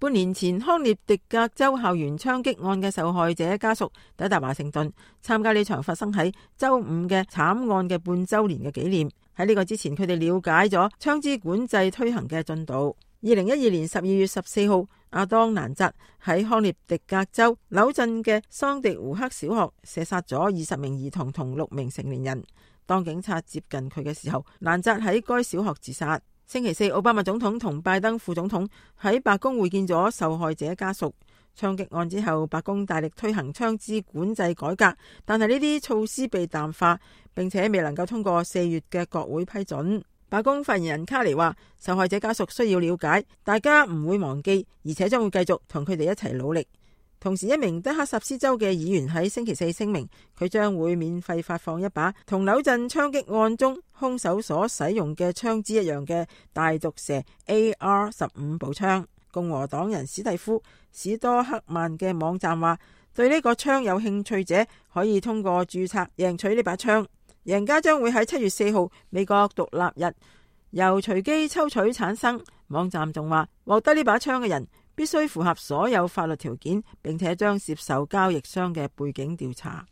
半年前康涅狄格州校園槍擊案嘅受害者家屬抵達華盛頓，參加呢場發生喺周五嘅慘案嘅半週年嘅紀念。喺呢個之前，佢哋了解咗槍支管制推行嘅進度。2012年12月14號，阿當蘭扎喺康涅狄格州紐鎮嘅桑迪胡克小學射殺咗20名兒童同6名成年人。當警察接近佢嘅時候，蘭扎喺該小學自殺。星期四，奧巴馬總統同拜登副總統喺白宮會見咗受害者家屬。槍擊案之後，白宮大力推行槍支管制改革，但係呢啲措施被淡化，並且未能夠通過4月嘅國會批准。白宮發言人卡尼話，受害者家屬需要了解，大家唔會忘記，而且將會繼續同佢哋一齊努力。同時，一名德克薩斯州嘅議員喺星期四聲明，佢將會免費發放一把同紐鎮槍擊案中兇手所使用嘅槍支一樣嘅大毒蛇 AR-15步槍。共和黨人史蒂夫史多克曼嘅網站話，對呢個槍有興趣者可以通過註冊贏取呢把槍，贏家將會喺7月4號美國獨立日由隨機抽取產生。網站仲話，獲得呢把槍嘅人必須符合所有法律條件，並且將接受交易商嘅背景調查。